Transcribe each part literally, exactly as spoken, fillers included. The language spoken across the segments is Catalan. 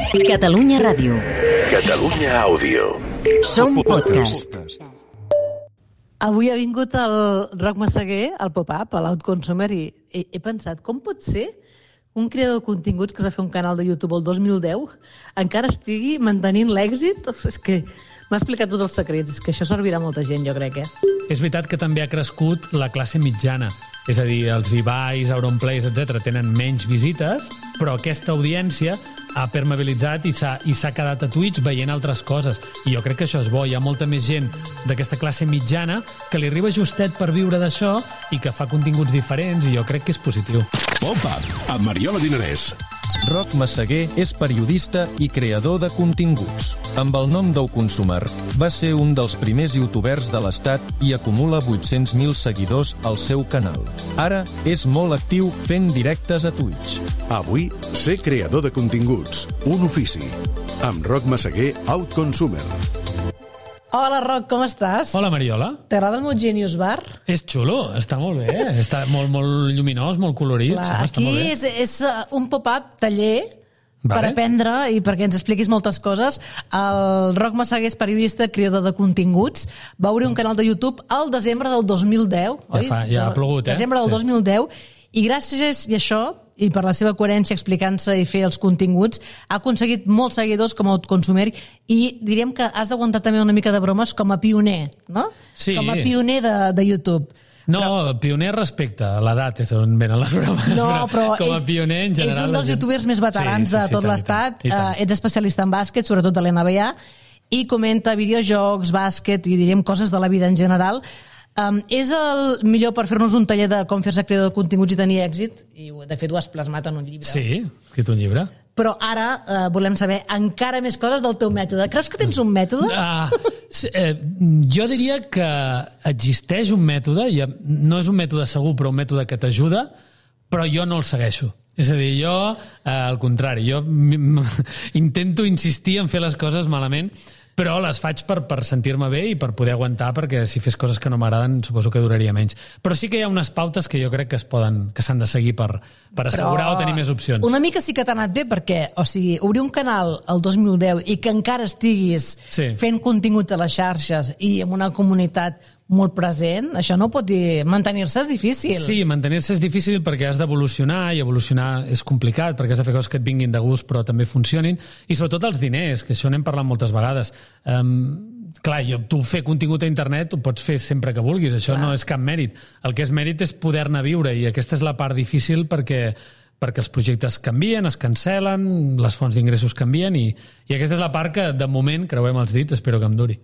Catalunya Ràdio. Catalunya Àudio. Som podcast. Avui ha vingut el Roc Massaguer al pop-up, a l'Outconsumer, i he, he pensat, com pot ser un creador de continguts que es va fer un canal de YouTube el dos mil deu encara estigui mantenint l'èxit? És que m'ha explicat tots els secrets, és que això servirà a molta gent, jo crec, eh? És veritat que també ha crescut la classe mitjana. És a dir, els Ibais, Auronplays, etcètera tenen menys visites, però aquesta audiència ha permeabilitzat i s'ha i s'ha quedat a Twitch veient altres coses. I jo crec que això és bo. Hi ha molta més gent d'aquesta classe mitjana que li arriba justet per viure d'això i que fa continguts diferents, i jo crec que és positiu. Pop-up, amb Mariola Dinarès. Roc Massaguer és periodista i creador de continguts. Amb el nom d'Oconsumer, va ser un dels primers youtubers de l'estat i acumula vuit-cents mil seguidors al seu canal. Ara és molt actiu fent directes a Twitch. Avui, ser creador de continguts, un ofici. Amb Roc Massaguer, Outconsumer. Hola, Roc, com estàs? Hola, Mariola. T'agrada el meu Genius Bar? És xulo, està molt bé. Està molt, molt lluminós, molt colorit. Clar, sí, està aquí molt bé. és, és un pop-up taller Vale. per aprendre i perquè ens expliquis moltes coses. El Roc Massaguer és periodista, creador de continguts. Va obrir un canal de YouTube al desembre del dos mil deu. Ja, fa, ja ha plogut, eh? Desembre del Sí. dos mil deu. I gràcies a això, i per la seva coherència explicant-se i fer els continguts, ha aconseguit molts seguidors com a Outconsumer, i diríem que has d'aguantar també una mica de bromes com a pioner, no? Sí. Com a pioner de, de YouTube. No, però... pioner respecte a l'edat és on venen les bromes. No, però com a ets, pioner, en general... ets un dels gent... youtubers més veterans sí, sí, sí, de tot tant, l'estat. i tant, i tant. Uh, ets especialista en bàsquet, sobretot de l'N B A, i comenta videojocs, bàsquet i diríem coses de la vida en general. Um, és el millor per fer-nos un taller de com fer-se creador de continguts i tenir èxit, i de fet ho has plasmat en un llibre. Sí, escrit un llibre. Però ara uh, volem saber encara més coses del teu mètode. Creus que tens un mètode? Ah, eh, jo diria que existeix un mètode, i no és un mètode segur, però un mètode que t'ajuda, però jo no el segueixo. És a dir, jo, eh, al contrari, jo intento insistir en fer les coses malament, però les faig per, per sentir-me bé i per poder aguantar, perquè si fes coses que no m'agraden suposo que duraria menys. Però sí que hi ha unes pautes que jo crec que es poden, que s'han de seguir per, per assegurar Però o tenir més opcions. Una mica sí que t'ha anat bé, perquè, o sigui, obrir un canal el dos mil deu i que encara estiguis Sí. fent continguts a les xarxes i amb una comunitat molt present, això no pot dir... Mantenir-se és difícil. Sí, mantenir-se és difícil perquè has d'evolucionar, i evolucionar és complicat perquè has de fer coses que et vinguin de gust però també funcionin, i sobretot els diners, que això n'hem parlat moltes vegades. Um, clar, jo, tu fer contingut a internet ho pots fer sempre que vulguis, això clar. No és cap mèrit. El que és mèrit és poder-ne viure, i aquesta és la part difícil perquè perquè els projectes canvien, es cancel·len, les fonts d'ingressos canvien, i, i aquesta és la part que, de moment, creuem els dits, espero que em duri.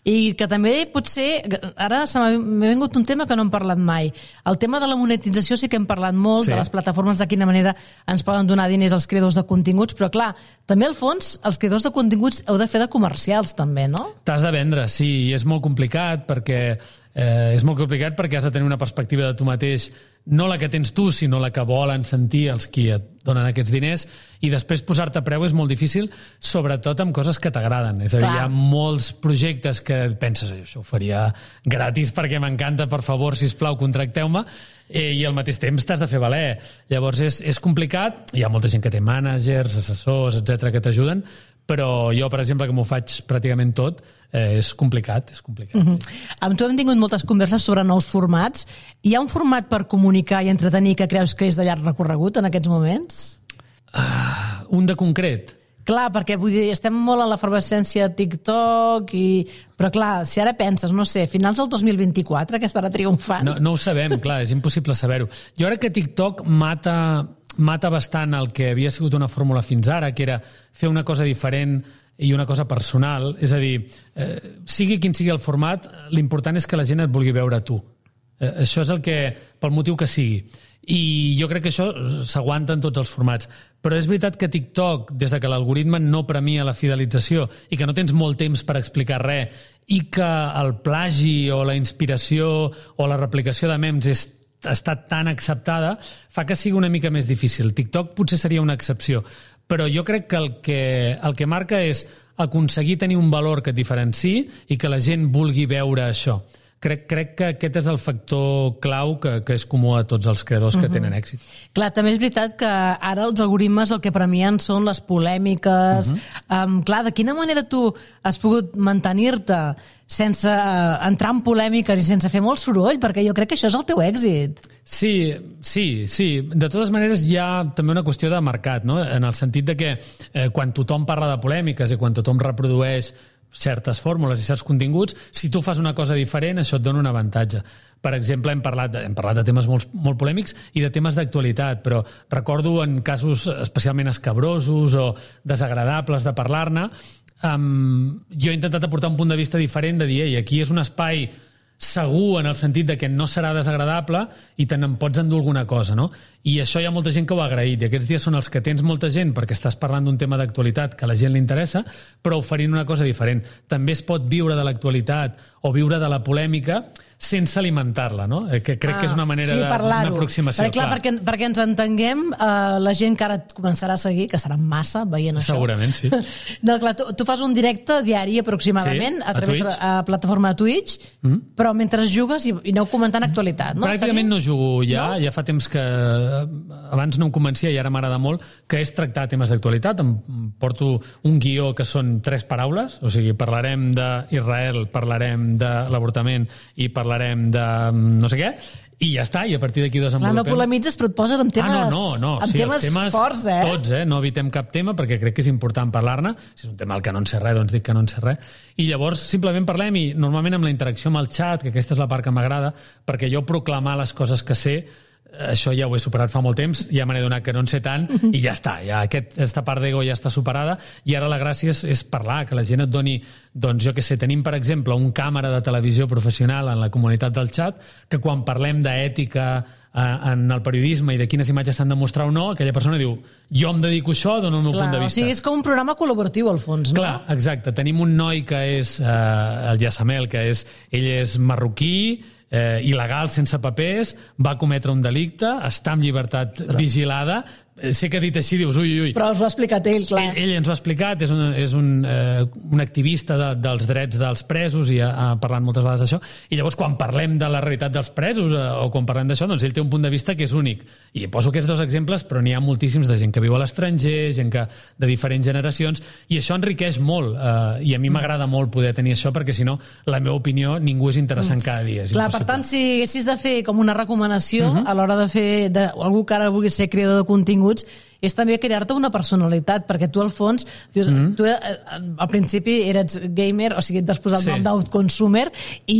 I que també potser, ara se m'ha vingut un tema que no hem parlat mai. El tema de la monetització sí que hem parlat molt, Sí. de les plataformes, de quina manera ens poden donar diners als creadors de continguts, però clar, també al fons els creadors de continguts heu de fer de comercials també, no? T'has de vendre, sí, i és molt complicat perquè eh, és molt complicat perquè has de tenir una perspectiva de tu mateix, no la que tens tu, sinó la que volen sentir els qui et donen aquests diners, i després posar-te a preu és molt difícil, sobretot amb coses que t'agraden. És a dir, Clar. hi ha molts projectes que penses, això ho faria gratis perquè m'encanta, per favor, sisplau, contracteu-me, eh, i al mateix temps t'has de fer valer. Llavors és, és complicat, hi ha molta gent que té mànagers, assessors, etcètera, que t'ajuden, però jo, per exemple, que m'ho faig pràcticament tot, eh, és complicat, és complicat. Mm-hmm. Sí. Amb tu hem tingut moltes converses sobre nous formats. Hi ha un format per comunicar i entretenir que creus que és de llarg recorregut en aquests moments? Ah, un de concret. Clar, perquè vull dir, estem molt a l'efervescència de TikTok, i... però clar, si ara penses, no sé, finals del dos mil vint-i-quatre, que estarà triomfant. No, no ho sabem, clar, és impossible saber-ho. Jo crec que TikTok mata, mata bastant el que havia sigut una fórmula fins ara, que era fer una cosa diferent i una cosa personal. És a dir, eh, sigui quin sigui el format, l'important és que la gent et vulgui veure a tu. Eh, això és el que, pel motiu que sigui. I jo crec que això s'aguanta en tots els formats. Però és veritat que TikTok, des de que l'algoritme no premia la fidelització i que no tens molt temps per explicar res, i que el plagi o la inspiració o la replicació de memes és, està tan acceptada, fa que sigui una mica més difícil. TikTok potser seria una excepció, però jo crec que el que, el que marca és aconseguir tenir un valor que et diferenciï i que la gent vulgui veure això. crec, crec que aquest és el factor clau que, que és comú a tots els creadors que uh-huh. tenen èxit. Clar, també és veritat que ara els algoritmes el que premien són les polèmiques. Uh-huh. Um, clar, de quina manera tu has pogut mantenir-te sense uh, entrar en polèmiques i sense fer molt soroll? Perquè jo crec que això és el teu èxit. Sí, sí, sí. De totes maneres hi ha també una qüestió de mercat, no? En el sentit de que eh, quan tothom parla de polèmiques i quan tothom reprodueix certes fórmules i certs continguts, si tu fas una cosa diferent, això et dona un avantatge. Per exemple, hem parlat de, hem parlat de temes molt, molt polèmics i de temes d'actualitat, però recordo en casos especialment escabrosos o desagradables de parlar-ne, um, jo he intentat aportar un punt de vista diferent de dir, ei, aquí és un espai segur en el sentit de que no serà desagradable i te n'en pots endur alguna cosa, no? I això hi ha molta gent que ho ha agraït, i aquests dies són els que tens molta gent perquè estàs parlant d'un tema d'actualitat que a la gent li interessa, però oferint una cosa diferent. També es pot viure de l'actualitat o viure de la polèmica sense alimentar-la, no? Que crec ah, que és una manera sí, d'aproximació. Perquè, clar, perquè, perquè ens entenguem, eh, la gent que ara et començarà a seguir, que serà massa veient això. Segurament, sí. No, clar, tu, tu fas un directe diari aproximadament sí, a través a de la plataforma de Twitch, mm-hmm. però mentre jugues i, i aneu comentant actualitat, no? Pràcticament Seguim? no jugo ja, no? Ja fa temps que abans no em convencia i ara m'agrada molt, que és tractar temes d'actualitat. Em porto un guió que són tres paraules, o sigui, parlarem d'Israel, parlarem de l'avortament i parlarem de no sé què, i ja està, i a partir d'aquí ho desenvolupem. Clar, no polemitzes, però et poses amb temes, ah, no, no, no. amb sí, temes, temes forts, eh? Tots, eh? No evitem cap tema, perquè crec que és important parlar-ne. Si és un tema al que no en sé res, doncs dic que no en sé res. I llavors simplement parlem, i normalment amb la interacció amb el xat, que aquesta és la part que m'agrada, perquè jo proclamar les coses que sé, això ja ho he superat fa molt temps, ja me n'he donat que no en sé tant, i ja està, ja aquest, aquesta part d'ego ja està superada, i ara la gràcia és, és parlar, que la gent et doni, doncs jo què sé, tenim per exemple un càmera de televisió professional en la comunitat del xat, que quan parlem d'ètica eh, en el periodisme i de quines imatges s'han de mostrar o no, aquella persona diu, jo em dedico a això, dono el meu Clar, punt de vista. O sigui, és com un programa col·laboratiu al fons, no? Clar, exacte, tenim un noi que és eh, el Yassamel, que és, ell és marroquí, eh, il·legal, sense papers, va cometre un delicte, està en llibertat Però... vigilada. Sé que dit així dius, ui, ui, ui. Però us ho ha explicat ell, clar. Ell, ell ens ho ha explicat, és un, és un, eh, un activista de, dels drets dels presos i ha, ha parlat moltes vegades d'això, i llavors quan parlem de la realitat dels presos eh, o quan parlem d'això, doncs ell té un punt de vista que és únic. I poso aquests dos exemples, però n'hi ha moltíssims de gent que viu a l'estranger, gent que de diferents generacions, i això enriqueix molt, eh, i a mi m'agrada molt poder tenir això, perquè si no, la meva opinió, ningú és interessant cada dia. És clar, impossible. per tant, si haguessis de fer com una recomanació uh-huh. a l'hora de fer de, algú que ara vulgui ser creador de contingut, és també crear-te una personalitat, perquè tu al fons dius, mm. tu al principi eres gamer, o sigui, et vas posar el sí. nom d'outconsumer, i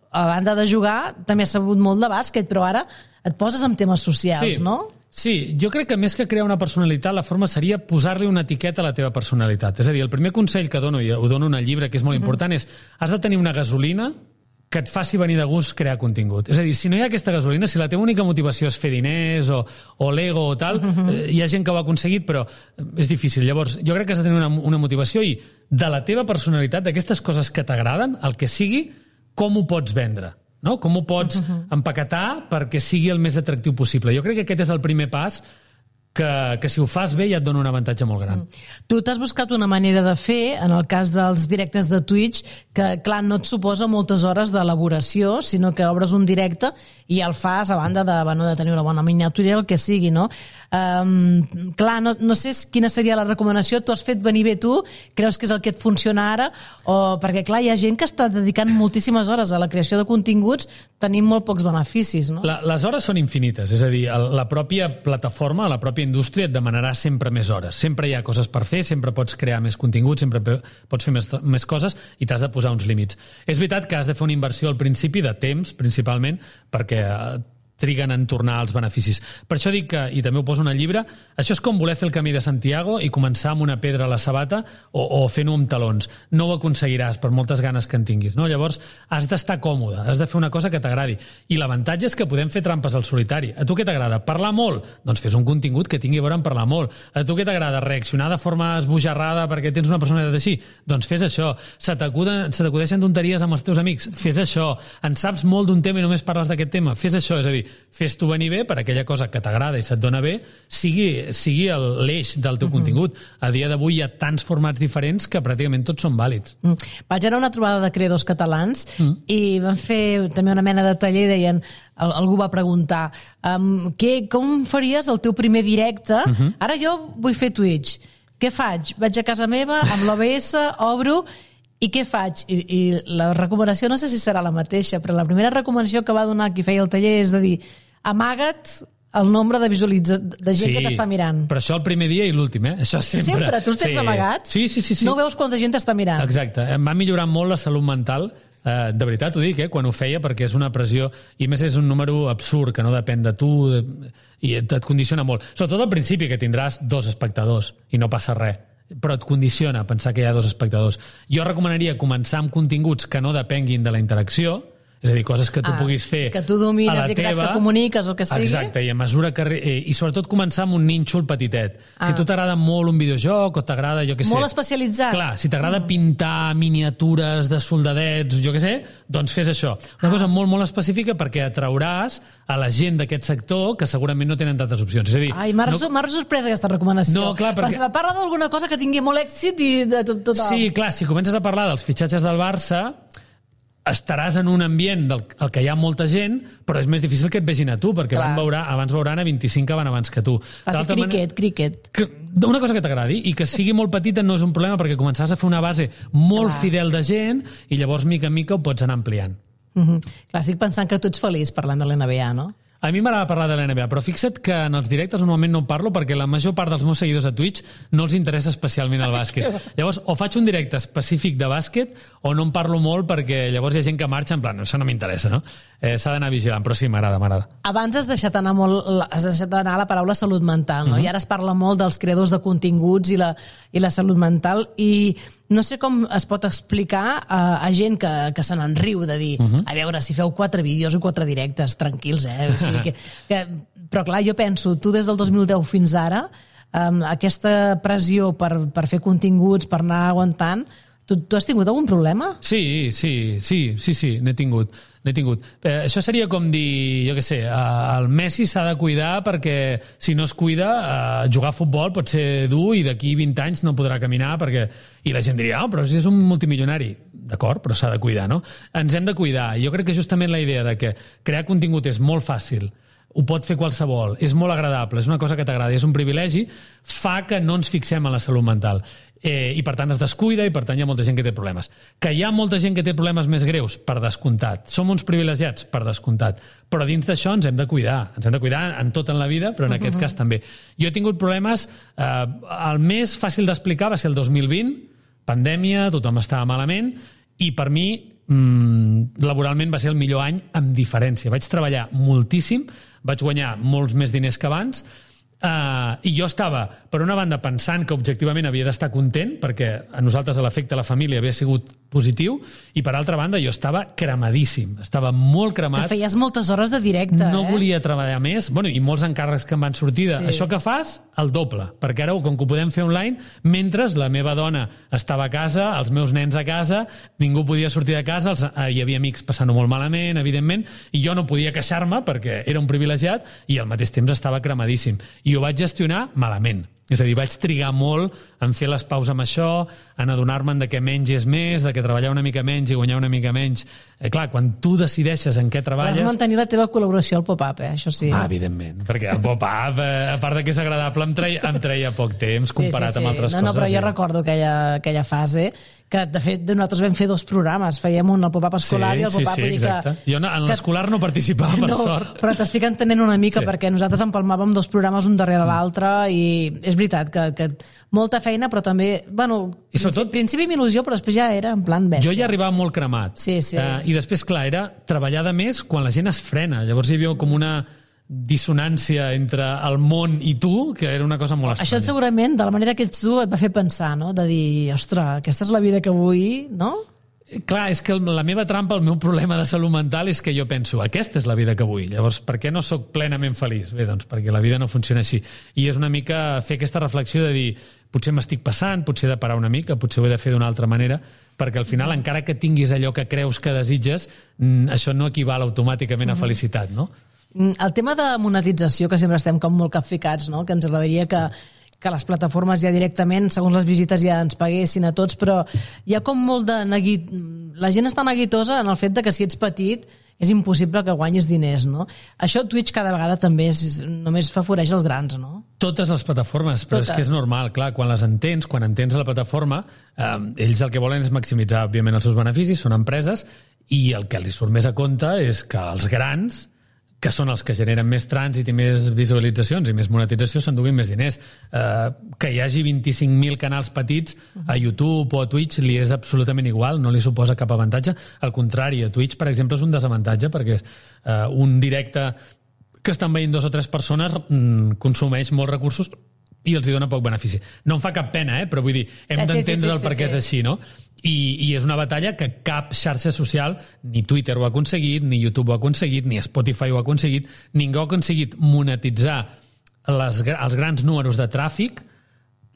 a banda de jugar també has sabut molt de bàsquet, però ara et poses amb temes socials, sí. no? Sí, jo crec que més que crear una personalitat, la forma seria posar-li una etiqueta a la teva personalitat. És a dir, el primer consell que dono, i ho dono en el llibre, que és molt mm-hmm. important, és has de tenir una gasolina que et faci venir de gust crear contingut. És a dir, si no hi ha aquesta gasolina, si la teva única motivació és fer diners o, o l'ego o tal, uh-huh. eh, hi ha gent que ho ha aconseguit, però és difícil. Llavors, jo crec que has de tenir una, una motivació i de la teva personalitat, d'aquestes coses que t'agraden, el que sigui, com ho pots vendre? No? Com ho pots uh-huh. empaquetar perquè sigui el més atractiu possible? Jo crec que aquest és el primer pas que, que si ho fas bé ja et dona un avantatge molt gran. Mm. Tu t'has buscat una manera de fer, en el cas dels directes de Twitch, que clar, no et suposa moltes hores d'elaboració, sinó que obres un directe i el fas a banda de, bueno, de tenir una bona miniatura, el que sigui, no? Um, clar, no, no sé quina seria la recomanació, tu has fet venir bé tu, creus que és el que et funciona ara, o perquè clar, hi ha gent que està dedicant moltíssimes hores a la creació de continguts, tenim molt pocs beneficis, no? La, les hores són infinites, és a dir, la pròpia plataforma, la pròpia indústria et demanarà sempre més hores. Sempre hi ha coses per fer, sempre pots crear més contingut, sempre pots fer més, més coses i t'has de posar uns límits. És veritat que has de fer una inversió al principi de temps, principalment, perquè triguen en tornar als beneficis. Per això dic que, i també ho poso en el llibre, això és com voler fer el camí de Santiago i començar amb una pedra a la sabata o, o fent-ho amb talons. No ho aconseguiràs per moltes ganes que en tinguis. No? Llavors, has d'estar còmode, has de fer una cosa que t'agradi. I l'avantatge és que podem fer trampes al solitari. A tu què t'agrada? Parlar molt? Doncs fes un contingut que tingui a veure amb parlar molt. A tu què t'agrada? Reaccionar de forma esbojarrada perquè tens una personalitat així? Doncs fes això. Se t'acudeixen tonteries amb els teus amics? Fes això. En saps molt d'un tema i només parles d'aquest tema? Fes això. És a dir, fes-t'ho venir bé per aquella cosa que t'agrada i se't dona bé, sigui, sigui l'eix del teu mm-hmm. contingut. A dia d'avui hi ha tants formats diferents que pràcticament tots són vàlids. Mm. Vaig anar a una trobada de creadors catalans mm. i van fer també una mena de taller i deien, algú va preguntar um, què, com faries el teu primer directe? Mm-hmm. Ara jo vull fer Twitch. Què faig? Vaig a casa meva, amb l'O B S, obro, i què faig? I, I la recomanació no sé si serà la mateixa, però la primera recomanació que va donar qui feia el taller és de dir, amaga't el nombre de visualitza... de gent sí, que t'està mirant. Però això el primer dia i l'últim, eh? Això sempre. Sempre? Tu els tens sí. amagats? Sí, sí, sí, sí. No veus quanta gent t'està mirant? Exacte. Em va millorar molt la salut mental. Uh, de veritat ho dic, eh, quan ho feia, perquè és una pressió, i més és un número absurd, que no depèn de tu, de, i et, et condiciona molt. Sobretot al principi, que tindràs dos espectadors, i no passa res, però et condiciona pensar que hi ha dos espectadors. Jo recomanaria començar amb continguts que no depenguin de la interacció, és a dir, coses que tu ah, puguis fer que tu domines a la i que teva... que comuniques o que sigui. Exacte, i a mesura que... I sobretot començar amb un nínxol petitet. Ah. Si tu t'agrada molt un videojoc o t'agrada, jo què sé... Molt especialitzat. Clar, si t'agrada mm. pintar miniatures de soldadets, jo què sé, doncs fes això. Una ah. cosa molt, molt específica perquè atrauràs a la gent d'aquest sector que segurament no tenen tantes opcions. És a dir... Ai, m'ha no... sorpresa aquesta recomanació. No, clar, perquè... Va parlar d'alguna cosa que tingui molt èxit i de tot, tot Sí, clar, si comences a parlar dels fitxatges del Barça... estaràs en un ambient del el que hi ha molta gent, però és més difícil que et vegin a tu, perquè van veure, abans veuran a vint-i-cinc que van abans que tu. Fas cricket, cricket. Que, una cosa que t'agradi, i que sigui molt petita no és un problema, perquè començaràs a fer una base molt Clar. fidel de gent, i llavors, mica en mica, ho pots anar ampliant. Mm-hmm. Clar, estic pensant que tu ets feliç parlant de l'N B A, no? A mi m'agrada parlar de l'N B A, però fixa't que en els directes normalment no en parlo perquè la major part dels meus seguidors a Twitch no els interessa especialment el bàsquet. Llavors, o faig un directe específic de bàsquet o no en parlo molt perquè llavors hi ha gent que marxa en plan, això no m'interessa, no? Eh, s'ha d'anar vigilant, però sí, m'agrada, m'agrada. Abans has deixat anar molt, has deixat anar la paraula salut mental, no? Uh-huh. I ara es parla molt dels creadors de continguts i la, i la salut mental, i no sé com es pot explicar a, a gent que, que se n'enriu de dir, uh-huh. a veure, si feu quatre vídeos o quatre directes, tranquils, eh? O sigui que, que, però clar, jo penso, tu des del dos mil deu fins ara, um, aquesta pressió per, per fer continguts, per anar aguantant, tu, tu has tingut algun problema? Sí, sí, sí, sí, sí, n'he tingut. N'he tingut. Eh, això seria com dir, jo què sé, eh, el Messi s'ha de cuidar perquè si no es cuida, eh, jugar a futbol pot ser dur i d'aquí vint anys no podrà caminar perquè... I la gent diria, oh, però si és un multimilionari. D'acord, però s'ha de cuidar, no? Ens hem de cuidar. Jo crec que justament la idea de que crear contingut és molt fàcil, ho pot fer qualsevol, és molt agradable, és una cosa que t'agrada, és un privilegi, fa que no ens fixem en la salut mental. Eh, I per tant es descuida i per tant hi ha molta gent que té problemes. Que hi ha molta gent que té problemes més greus, per descomptat. Som uns privilegiats, per descomptat. Però dins d'això ens hem de cuidar. Ens hem de cuidar en tot en la vida, però en uh-huh. aquest cas també. Jo he tingut problemes, eh, el més fàcil d'explicar va ser el dos mil vint, pandèmia, tothom estava malament, i per mi mm, laboralment va ser el millor any amb diferència. Vaig treballar moltíssim, vaig guanyar molts més diners que abans, uh, i jo estava, per una banda, pensant que objectivament havia d'estar content, perquè a nosaltres l'efecte a la família havia sigut positiu, i per altra banda jo estava cremadíssim, estava molt cremat. Que feies moltes hores de directe, no eh? volia treballar més, bueno, i molts encàrrecs que em van sortir de, sí. Això que fas, el doble, perquè ara, com que ho podem fer online, mentre la meva dona estava a casa, els meus nens a casa, ningú podia sortir de casa, els, eh, hi havia amics passant-ho molt malament, evidentment, i jo no podia queixar-me perquè era un privilegiat i al mateix temps estava cremadíssim. I ho vaig gestionar malament. És a dir, vaig trigar molt en fer les paus amb això, en adonar-me'n de que menys és més, de que treballar una mica menys i guanyar una mica menys. Eh, clar, quan tu decideixes en què treballes... Vas mantenir la teva col·laboració al pop-up, eh? Això sí. Ah, evidentment, perquè el pop-up, eh, a part de que és agradable, em treia, em treia poc temps comparat sí, sí, sí. amb altres no, coses. No, però jo ja. recordo aquella, aquella fase que, de fet, nosaltres vam fer dos programes. Fèiem un al pop-up escolar sí, i el pop-up... Sí, sí, exacte. Que, jo en l'escolar no participava, per no, sort. Però t'estic entenent una mica, sí. Perquè nosaltres empalmàvem dos programes un darrere l'altre i és veritat que, que molta feina, però també... Bueno, I sobretot, principi amb il·lusió, però després ja era en plan bèstia. Jo ja arribava molt cremat. Sí, sí. Uh, I després, clar, era treballar de més quan la gent es frena. Llavors hi havia com una dissonància entre el món i tu, que era una cosa molt estranya. Això segurament, de la manera que ets tu, et va fer pensar, no? De dir, ostres, aquesta és la vida que vull, no? Clar, és que la meva trampa, el meu problema de salut mental és que jo penso, aquesta és la vida que vull, llavors per què no sóc plenament feliç? Bé, doncs perquè la vida no funciona així. I és una mica fer aquesta reflexió de dir, potser m'estic passant, potser he de parar una mica, potser ho he de fer d'una altra manera, perquè al final, encara que tinguis allò que creus que desitges, això no equival automàticament a felicitat, no? El tema de monetització, que sempre estem com molt capficats, no? Que ens agradaria que, que les plataformes ja directament, segons les visites, ja ens paguessin a tots, però hi ha com molt de neguit... La gent està neguitosa en el fet de que si ets petit és impossible que guanyis diners, no? Això Twitch cada vegada també és, només favoreix els grans, no? Totes les plataformes, però Totes. És que és normal, clar, quan les entens, quan entens la plataforma, eh, ells el que volen és maximitzar, òbviament, els seus beneficis, són empreses, i el que els surt més a compte és que els grans, que són els que generen més trànsit i més visualitzacions i més monetització, s'enduguin més diners. Eh, que hi hagi vint-i-cinc mil canals petits a YouTube o a Twitch li és absolutament igual, no li suposa cap avantatge. Al contrari, a Twitch, per exemple, és un desavantatge perquè eh, un directe que estan veient dos o tres persones mm, consumeix molts recursos i els hi dona poc benefici. No em fa cap pena, eh? Però vull dir, hem sí, d'entendre sí, sí, sí, el per què sí. és així, no? I, I és una batalla que cap xarxa social, ni Twitter ho ha aconseguit, ni YouTube ho ha aconseguit, ni Spotify ho ha aconseguit, ningú ha aconseguit monetitzar les, els grans números de tràfic,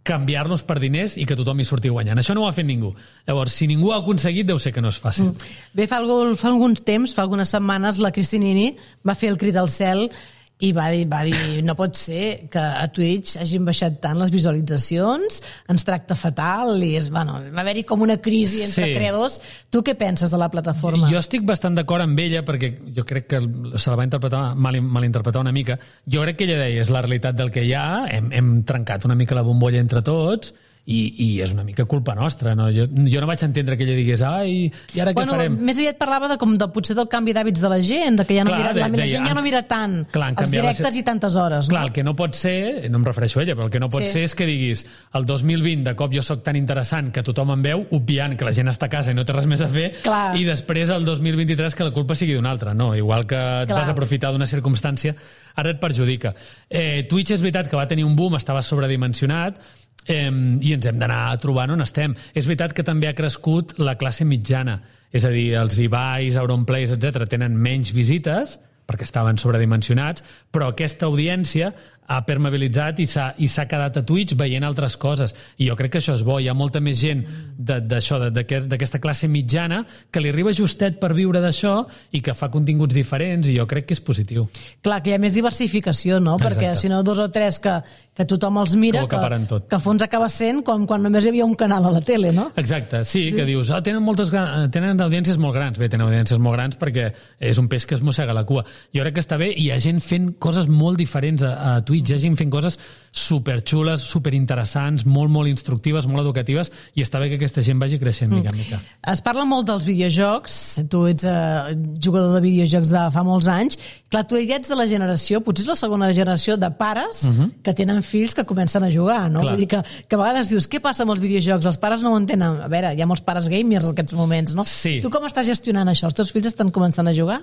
canviar-los per diners i que tothom hi surti guanyant. Això no ho ha fet ningú. Llavors, si ningú ho ha aconseguit, deu ser que no és fàcil. Mm. Bé, fa, algun, fa algun temps, fa algunes setmanes, la Cristinini va fer el crit al cel i va dir, va dir, no pot ser que a Twitch hagin baixat tant les visualitzacions, ens tracta fatal, i és, bueno, va haver-hi com una crisi entre sí. creadors. Tu què penses de la plataforma? Jo estic bastant d'acord amb ella, perquè jo crec que se la va interpretar, mal, malinterpretar una mica. Jo crec que ella deia, és la realitat del que hi ha, hem, hem trencat una mica la bombolla entre tots, i, i és una mica culpa nostra, no? Jo, jo no vaig entendre que ella digués ai, i ara bueno, què farem? Més aviat parlava de, com de potser del canvi d'hàbits de la gent, de que ja no clar, mira, de, la, la gent ja no mira tant clar, els directes la... i tantes hores. Clar, no? El que no pot ser, no em refereixo a ella, però el que no pot sí. ser és que diguis el dos mil vint de cop jo sóc tan interessant que tothom em veu, obviant que la gent està a casa i no té res més a fer, clar. I després el dos mil vint-i-tres que la culpa sigui d'un altre, no? Igual que et clar. vas aprofitar d'una circumstància, ara et perjudica. Eh, Twitch és veritat que va tenir un boom, estava sobredimensionat, Eh, i ens hem d'anar trobant on estem. És veritat que també ha crescut la classe mitjana, és a dir, els Ibais, Auronplays, etcètera, tenen menys visites perquè estaven sobredimensionats, però aquesta audiència ha permeabilitzat i s'ha i s'ha quedat a Twitch veient altres coses. I jo crec que això és bo. Hi ha molta més gent d'això, d'aquesta classe mitjana, que li arriba justet per viure d'això i que fa continguts diferents, i jo crec que és positiu. Clar, que hi ha més diversificació, no? Exacte. Perquè si no, dos o tres que, que tothom els mira, que, que, que al fons acaba sent com quan només hi havia un canal a la tele, no? Exacte, sí, sí. Que dius, oh, tenen, moltes, tenen audiències molt grans. Bé, tenen audiències molt grans perquè és un peix que es mossega la cua. Jo crec que està bé, i hi ha gent fent coses molt diferents a, a Twitch, hi ha gent fent coses superxules, superinteressants, molt, molt instructives, molt educatives, i està bé que aquesta gent vagi creixent mica en mica. Es parla molt dels videojocs, tu ets uh, jugador de videojocs de fa molts anys, clar, tu ja ets de la generació, potser és la segona generació de pares uh-huh. que tenen fills que comencen a jugar, no? Vull dir que, que a vegades dius, què passa amb els videojocs? Els pares no ho entenen. A veure, hi ha molts pares gamers en aquests moments, no? Sí. Tu com estàs gestionant això? Els teus fills estan començant a jugar?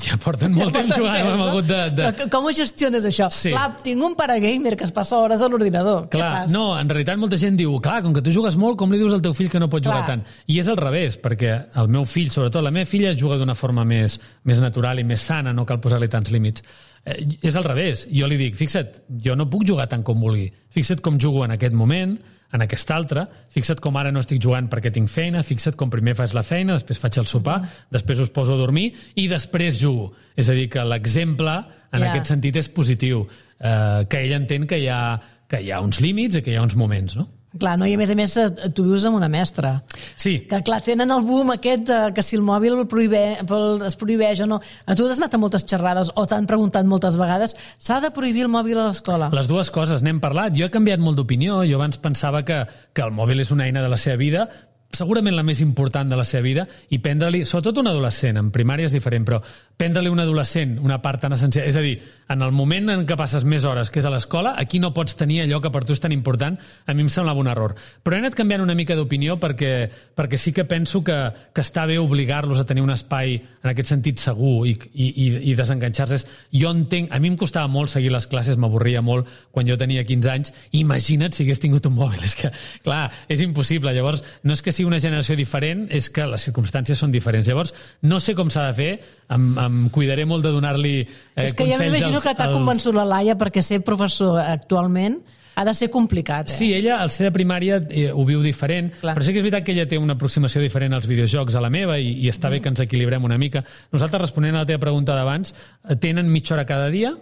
Ja porten molt ja temps jugant, no hem hagut de... de... Però com ho gestiones, això? Sí. Clar, tinc un pare gamer que es passa hores a l'ordinador. Què fas? No, en realitat molta gent diu, clar, com que tu jugues molt, com li dius al teu fill que no pot clar. jugar tant? I és al revés, perquè el meu fill, sobretot la meva filla, juga d'una forma més, més natural i més sana, no cal posar-li tants límits. Eh, és al revés. Jo li dic, fixa't, jo no puc jugar tant com vulgui. Fixa't com jugo en aquest moment, en aquest altre, fixa't com ara no estic jugant perquè tinc feina, fixa't com primer faig la feina, després faig el sopar, després us poso a dormir i després jugo. És a dir, que l'exemple en yeah. aquest sentit és positiu, eh, que ell entén que hi ha, que hi ha uns límits i que hi ha uns moments, no? Clar, no? I a més a més tu vius amb una mestra. Sí. Que clar, tenen el boom aquest de, que si el mòbil prohibé, es prohibeix o no. A tu has anat a moltes xerrades o t'han preguntat moltes vegades, s'ha de prohibir el mòbil a l'escola? Les dues coses, n'hem parlat. Jo he canviat molt d'opinió. Jo abans pensava que, que el mòbil és una eina de la seva vida, segurament la més important de la seva vida, i prendre-li, sobretot un adolescent, en primària és diferent, però prendre-li un adolescent una part tan essencial, és a dir, en el moment en què passes més hores, que és a l'escola, aquí no pots tenir allò que per tu és tan important, a mi em semblava un error. Però he anat canviant una mica d'opinió perquè, perquè sí que penso que, que està bé obligar-los a tenir un espai en aquest sentit segur i, i, i desenganxar-se. Jo entenc, a mi em costava molt seguir les classes, m'avorria molt quan jo tenia quinze anys, imagina't si hagués tingut un mòbil, és que, clar, és impossible. Llavors, no és que sigui una generació diferent, és que les circumstàncies són diferents. Llavors, no sé com s'ha de fer, em, em cuidaré molt de donar-li eh, és que consells. Ja m'imagino als, que t'ha als... convençut la Laia, perquè ser professor actualment Ha de ser complicat, eh? Sí, ella, al ser de primària, eh, ho viu diferent, Clar. però sí que és veritat que ella té una aproximació diferent als videojocs a la meva i, i està mm. bé que ens equilibrem una mica. Nosaltres, responent a la teva pregunta d'abans, tenen mitja hora cada dia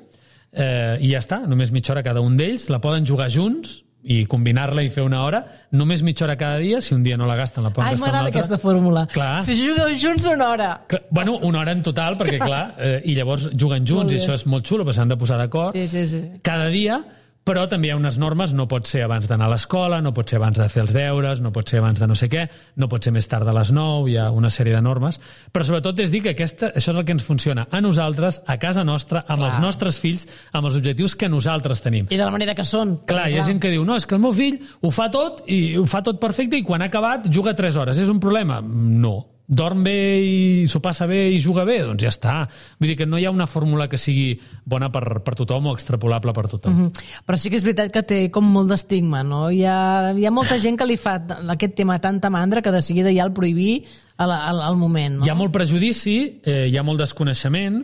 eh, i ja està, només mitja hora cada un d'ells, la poden jugar junts i combinar-la i fer una hora, només mitja hora cada dia, si un dia no la gasten, la poden Ai, gastar una m'agrada altra. aquesta fórmula. Clar. Si jugueu junts, una hora. Clar, bueno, una hora en total, perquè clar, eh, i llavors juguen junts i això és molt xulo, perquè s'han de posar d'acord. Sí, sí, sí. Cada dia, però també hi ha unes normes, no pot ser abans d'anar a l'escola, no pot ser abans de fer els deures, no pot ser abans de no sé què, no pot ser més tard de les nou, hi ha una sèrie de normes, però sobretot és dir que aquesta, això és el que ens funciona a nosaltres, a casa nostra, amb Clar. els nostres fills, amb els objectius que nosaltres tenim. I de la manera que són. Clar, hi ha gent que diu, no, és que el meu fill ho fa tot i ho fa tot perfecte i quan ha acabat juga tres hores. És un problema? No. Dorm bé i s'ho passa bé i juga bé? Doncs ja està. Vull dir que no hi ha una fórmula que sigui bona per, per tothom o extrapolable per tothom. Mm-hmm. Però sí que és veritat que té com molt d'estigma, no? Hi ha, hi ha molta gent que li fa aquest tema tanta mandra que de seguida ja el prohibir al, al, al moment, no? Hi ha molt prejudici, eh, hi ha molt desconeixement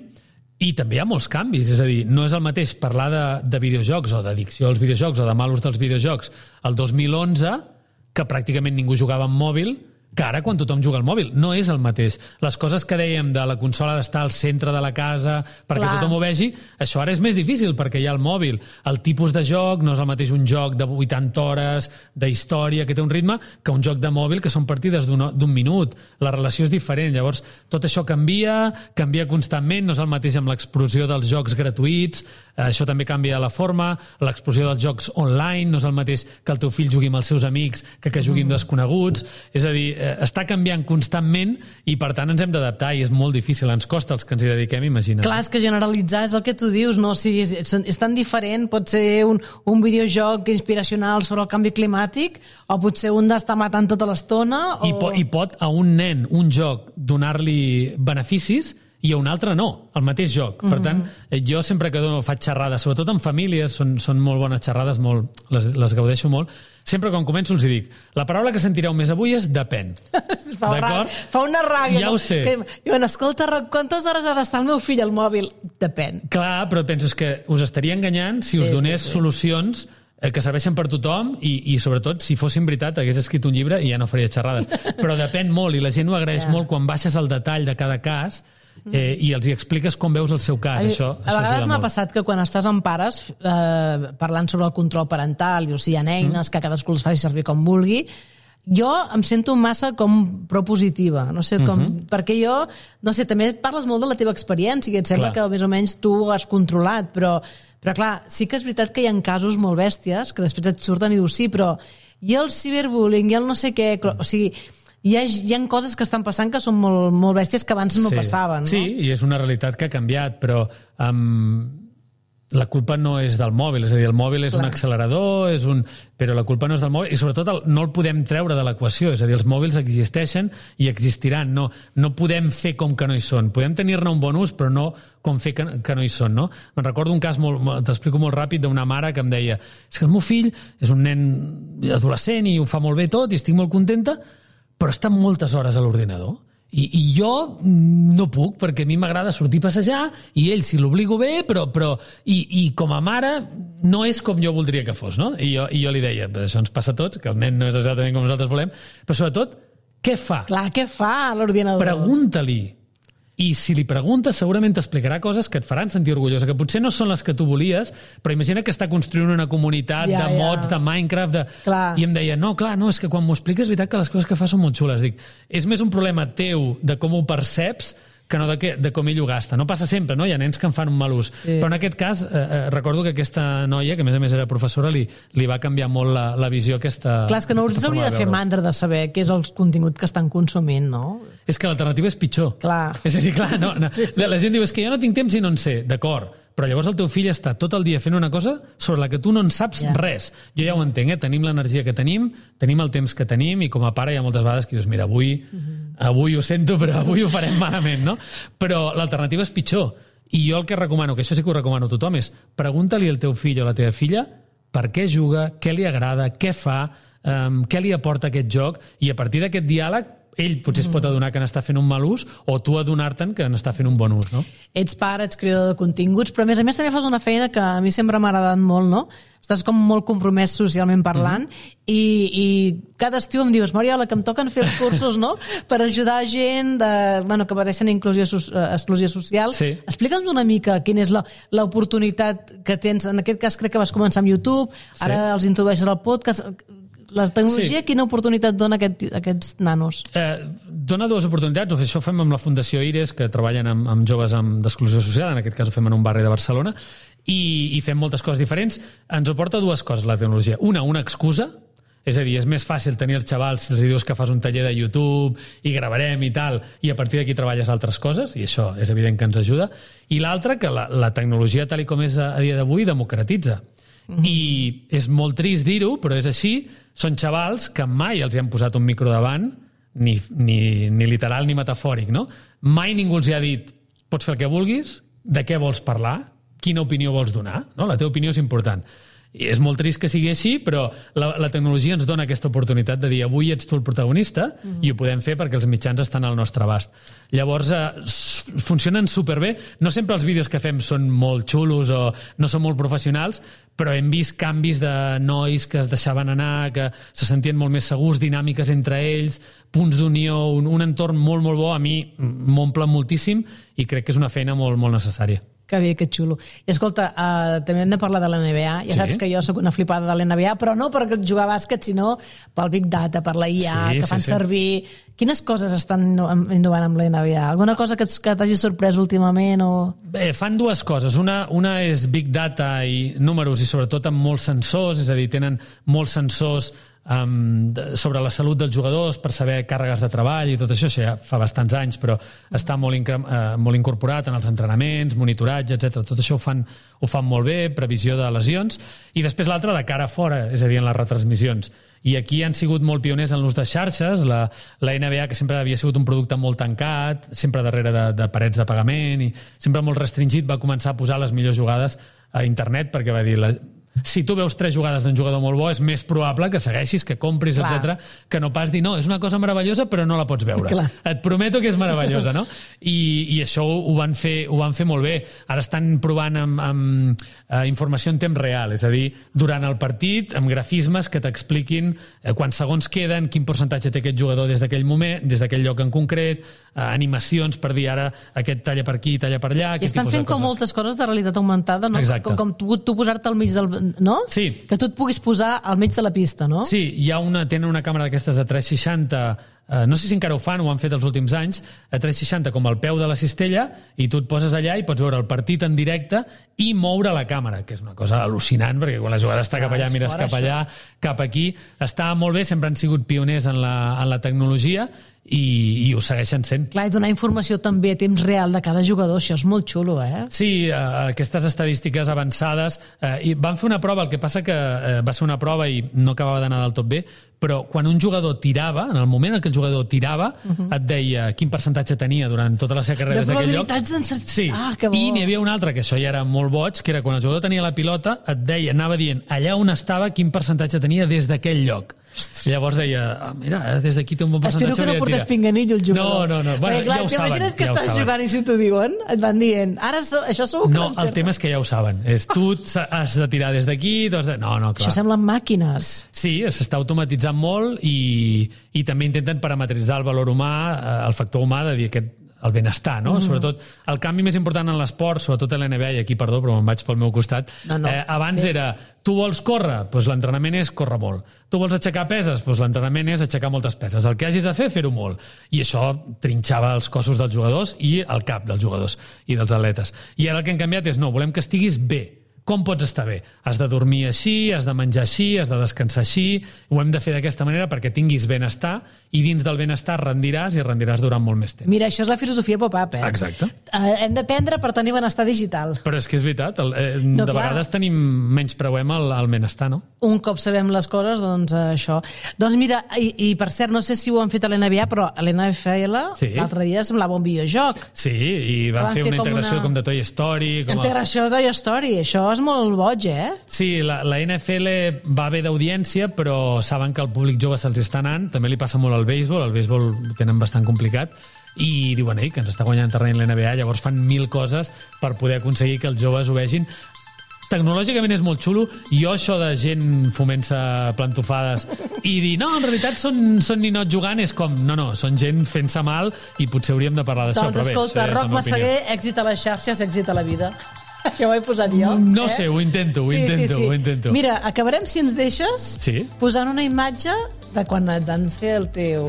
i també hi ha molts canvis. És a dir, no és el mateix parlar de, de videojocs o d'addicció als videojocs o de mal ús dels videojocs el dos mil onze, que pràcticament ningú jugava amb mòbil, que ara quan tothom juga al mòbil. No és el mateix. Les coses que dèiem de la consola d'estar al centre de la casa perquè Clar. tothom ho vegi, això ara és més difícil perquè hi ha el mòbil. El tipus de joc no és el mateix un joc de vuitanta hores, d'història, que té un ritme, que un joc de mòbil que són partides d'un minut. La relació és diferent. Llavors, tot això canvia, canvia constantment, no és el mateix amb l'explosió dels jocs gratuïts, això també canvia la forma, l'explosió dels jocs online, no és el mateix que el teu fill jugui amb els seus amics que que jugui amb desconeguts. És a dir, està canviant constantment i per tant ens hem d'adaptar i és molt difícil, ens costa els que ens hi dediquem, imagina't. Clar, és que generalitzar és el que tu dius, no? O sigui, és, és tan diferent, pot ser un, un videojoc inspiracional sobre el canvi climàtic o potser un d'estar matant tota l'estona o... I, po I pot a un nen, un joc, donar-li beneficis i a un altre no, el mateix joc. Per tant, jo sempre que dono, faig xerrades, sobretot en famílies, són, són molt bones xerrades, molt, les, les gaudeixo molt, sempre quan començo els dic, la paraula que sentireu més avui és depèn. fa, ra... fa una ràbia. Ja no? ho sé. Que, diuen, escolta, quantes hores ha d'estar el meu fill al mòbil? Depèn. Clar, però penso que us estaria enganyant si us sí, donés sí, sí. solucions que serveixen per tothom i, i sobretot, si fossin veritat, hagués escrit un llibre i ja no faria xerrades. Però depèn molt i la gent ho agraeix yeah. molt quan baixes el detall de cada cas eh, i els hi expliques com veus el seu cas. A, això, a vegades m'ha passat que quan estàs amb pares eh, parlant sobre el control parental i o sigui, hi ha eines mm. que cadascú els faci servir com vulgui, jo em sento massa com propositiva, no sé com, uh-huh. perquè jo, no sé, també parles molt de la teva experiència i et sembla clar. Que més o menys tu ho has controlat, però, però clar, sí que és veritat que hi ha casos molt bèsties que després et surten i dius sí, però i el ciberbullying, i el no sé què, o sigui, hi ha, hi ha coses que estan passant que són molt, molt bèsties que abans no sí. passaven, no? Sí, i és una realitat que ha canviat, però um, la culpa no és del mòbil, és a dir, el mòbil és Clar. un accelerador, és un... però la culpa no és del mòbil, i sobretot el, no el podem treure de l'equació, és a dir, els mòbils existeixen i existiran, no, no podem fer com que no hi són, podem tenir-ne un bon ús, però no com fer que, que no hi són, no? Me'n recordo un cas, molt, t'explico molt ràpid, d'una mare que em deia, és que el meu fill és un nen adolescent i ho fa molt bé tot i estic molt contenta, però està moltes hores a l'ordinador. I, i jo no puc, perquè a mi m'agrada sortir a passejar i ell si l'obligo bé, però, però i, i com a mare no és com jo voldria que fos, no? I jo, i jo li deia, això ens passa a tots, que el nen no és exactament com nosaltres volem, però sobretot, què fa? Clar, què fa a l'ordinador? Pregunta-li. I si li preguntes segurament t'explicarà coses que et faran sentir orgullosa, que potser no són les que tu volies, però imagina que està construint una comunitat ja, de mods, ja. de Minecraft, de... i em deia, no, clar, no, és que quan m'ho expliques és veritat que les coses que fa són molt xules. Dic, és més un problema teu de com ho perceps que no de, que, de com ell ho gasta. No passa sempre, no? Hi ha nens que en fan un mal ús. Sí. Però en aquest cas, eh, eh, recordo que aquesta noia, que a més a més era professora, li, li va canviar molt la, la visió aquesta... Clar, és que no us hauria de fer mandra de saber què és el contingut que estan consumint, no? És que l'alternativa és pitjor. Clar. És a dir, clar, no, no. Sí, sí. La gent diu, és que jo no tinc temps i no en sé. D'acord, però llavors el teu fill està tot el dia fent una cosa sobre la que tu no en saps yeah. res. Jo ja ho entenc, eh? Tenim l'energia que tenim, tenim el temps que tenim i com a pare hi ha moltes vegades que dius, mira, avui, uh-huh. avui ho sento, però avui ho farem malament, no? Però l'alternativa és pitjor. I jo el que recomano, que això sí que ho recomano a tothom, és pregunta-li al teu fill o a la teva filla per què juga, què li agrada, què fa, um, què li aporta aquest joc, i a partir d'aquest diàleg ell potser es pot adonar que n'està fent un mal ús o tu adonar-te'n que n'està fent un bon ús, no? Ets pare, ets creador de continguts, però a més a més també fas una feina que a mi sempre m'ha agradat molt, no? Estàs com molt compromès socialment parlant mm-hmm. i, i cada estiu em dius, Mariola, que em toquen fer els cursos, no? Per ajudar gent de, bueno, que pateixen inclusió, exclusió social. Sí. Explica'ns una mica quina és la, l'oportunitat que tens. En aquest cas crec que vas començar amb YouTube, ara sí. els introdueixes al podcast. La tecnologia, sí. quina oportunitat dona aquest, aquests nanos? Eh, dona dues oportunitats. Això ho fem amb la Fundació Ires, que treballen amb, amb joves amb d'exclusió social, en aquest cas ho fem en un barri de Barcelona, i, i fem moltes coses diferents. Ens aporta dues coses, la tecnologia. Una, una excusa, és a dir, és més fàcil tenir els xavals si els dius que fas un taller de YouTube i gravarem i tal, i a partir d'aquí treballes altres coses, i això és evident que ens ajuda. I l'altra, que la, la tecnologia, tal com és a, a dia d'avui, democratitza. Mm-hmm. I és molt trist dir-ho, però és així. Són xavals que mai els hi han posat un micro davant, ni, ni, ni literal ni metafòric, no? Mai ningú els hi ha dit, pots fer el que vulguis, de què vols parlar, quina opinió vols donar, no? La teva opinió és important. I és molt trist que sigui així, però la, la tecnologia ens dona aquesta oportunitat de dir avui ets tu el protagonista mm. i ho podem fer perquè els mitjans estan al nostre abast. Llavors, eh, funcionen superbé. No sempre els vídeos que fem són molt xulos o no són molt professionals, però hem vist canvis de nois que es deixaven anar, que se sentien molt més segurs, dinàmiques entre ells, punts d'unió, un, un entorn molt, molt bo. A mi m'omple moltíssim i crec que és una feina molt, molt necessària. Que bé, que xulo. I escolta, uh, també hem de parlar de l'N B A. Ja sí. saps que jo sóc una flipada de l'N B A, però no per jugar a bàsquet, sinó pel Big Data, per la I A, sí, que fan sí, sí. servir... Quines coses estan innovant amb l'N B A? Alguna cosa que, que t'hagi sorprès últimament? O... Bé, fan dues coses. Una, una és Big Data i números, i sobretot amb molts sensors, és a dir, tenen molts sensors Um, de, sobre la salut dels jugadors per saber càrregues de treball i tot això, això ja fa bastants anys, però està molt, incre- uh, molt incorporat en els entrenaments, monitoratge, etcètera. Tot això ho fan, ho fan molt bé, previsió de lesions, i després l'altra de cara a fora, és a dir, en les retransmissions. I aquí han sigut molt pioners en l'ús de xarxes. La, la N B A, que sempre havia sigut un producte molt tancat, sempre darrere de, de parets de pagament i sempre molt restringit, va començar a posar les millors jugades a internet, perquè va dir... La, si tu veus tres jugades d'un jugador molt bo, és més probable que segueixis, que compris, etcètera, que no pas dir, no, és una cosa meravellosa però no la pots veure. Clar. Et prometo que és meravellosa, no? I, i això ho van, fer, ho van fer molt bé. Ara estan provant amb, amb uh, informació en temps real, és a dir, durant el partit, amb grafismes que t'expliquin uh, quants segons queden, quin percentatge té aquest jugador des d'aquell moment, des d'aquell lloc en concret, uh, animacions per dir ara aquest talla per aquí, talla per allà... I estan fent com moltes coses de realitat augmentada, no? Exacte. Com, com tu, tu posar-te al mig del... no? Sí. Que tu et puguis posar al mig de la pista, no? Sí, hi ha una, tenen una càmera d'aquestes de tres seixanta, eh, no sé si encara ho fan, ho han fet els últims anys, a tres seixanta com al peu de la cistella, i tu et poses allà i pots veure el partit en directe i moure la càmera, que és una cosa al·lucinant, perquè quan la jugada està cap allà, mires cap allà, cap aquí. Està molt bé, sempre han sigut pioners en la, en la tecnologia, i, i ho segueixen sent. Clar, i donar informació també a temps real de cada jugador, això és molt xulo, eh? Sí, eh, aquestes estadístiques avançades, eh, i van fer una prova, el que passa que eh, va ser una prova i no acabava d'anar del tot bé, però quan un jugador tirava, en el moment en què el jugador tirava, uh-huh. et deia quin percentatge tenia durant tota la seva carrera des d'aquell lloc. De probabilitats d'encert... Sí, ah, que bo. I n'hi havia un altre, que això ja era molt boig, que era quan el jugador tenia la pilota, et deia, anava dient allà on estava quin percentatge tenia des d'aquell lloc. I llavors deia, ah, mira, des d'aquí té un bon percentatge. Espero que no portés pinganillo el jugador. No, no, no. Bueno, perquè, clar, ja ho saben. Imagina't que ja estàs jugant i si t'ho diuen, et van dient, ara so, això segur que no, el tema és que ja ho saben. És, tu has de tirar des d'aquí, tu has de... No, no, clar. Això semblen màquines. Sí, s'està automatitzant molt i, i també intenten parametritzar el valor humà, el factor humà de dir aquest el benestar, no? Mm. Sobretot, el canvi més important en l'esport, sobretot a l'N B A, i aquí, perdó, però me'n vaig pel meu costat, no, no. Eh, abans és... era, tu vols córrer? Doncs l'entrenament és córrer molt. Tu vols aixecar peses? Doncs l'entrenament és aixecar moltes peses. El que hagis de fer, fer-ho molt. I això trinxava els cossos dels jugadors i el cap dels jugadors i dels atletes. I ara el que hem canviat és, no, volem que estiguis bé. Com pots estar bé? Has de dormir així, has de menjar així, has de descansar així, ho hem de fer d'aquesta manera perquè tinguis benestar i dins del benestar rendiràs i rendiràs durant molt més temps. Mira, això és la filosofia pop-up, eh? Exacte. Uh, hem d'aprendre per tenir benestar digital. Però és que és veritat, el, eh, no, de clar. Vegades tenim menys preuem el, el benestar, no? Un cop sabem les coses, doncs uh, això. Doncs mira, i, i per cert, no sé si ho han fet a l'N B A, però a l'N F L sí. L'altre dia semblava un videojoc. Sí, i van, van fer, fer una integració com, una... com de Toy Story. Com integració els... de Toy Story, això vas molt boig, eh? Sí, la, la N F L va bé d'audiència, però saben que el públic jove se'ls està anant. També li passa molt al béisbol, el béisbol ho tenen bastant complicat, i diuen ei, que ens està guanyant terreny l'N B A, llavors fan mil coses per poder aconseguir que els joves ho vegin. Tecnològicament és molt xulo. Jo això de gent fomant-se plantofades i dir, no, en realitat són, són ninots jugant, és com, no, no, són gent fent-se mal i potser hauríem de parlar d'això. Doncs escolta, Roc Massaguer, èxit a les xarxes, èxit a la vida. Això ho he posat jo. No eh? sé, ho intento, ho sí, intento, sí, sí. ho intento. Mira, acabarem, si ens deixes, sí? posant una imatge de quan et van fer el teu...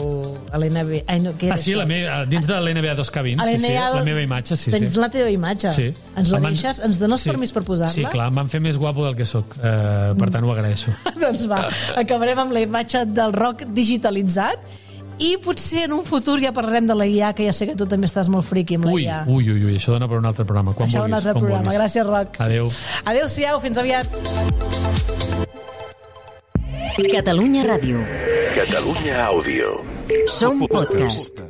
a l'N B A. Ai, no, què era ah, sí, això? la meva, dins de l'N B A dos K vint, sí, sí, la meva imatge, sí, tens sí. la teva imatge. Sí. Ens la Em van... deixes? Ens dones sí. permís per posar-la? Sí, clar, em van fer més guapo del que sóc. Uh, per tant, ho agraeixo. Doncs va, acabarem amb la imatge del Roc digitalitzat i potser en un futur ja parlarem de la I A, que ja sé que tu també estàs molt friqui amb la ui, I A. Ui, ui, ui, això dona per un altre programa. Quan això vulguis, un altre quan programa. vulguis. Gràcies, Roc. Adéu. Adéu-siau, fins aviat. Catalunya Ràdio. Catalunya Àudio. Som podcast.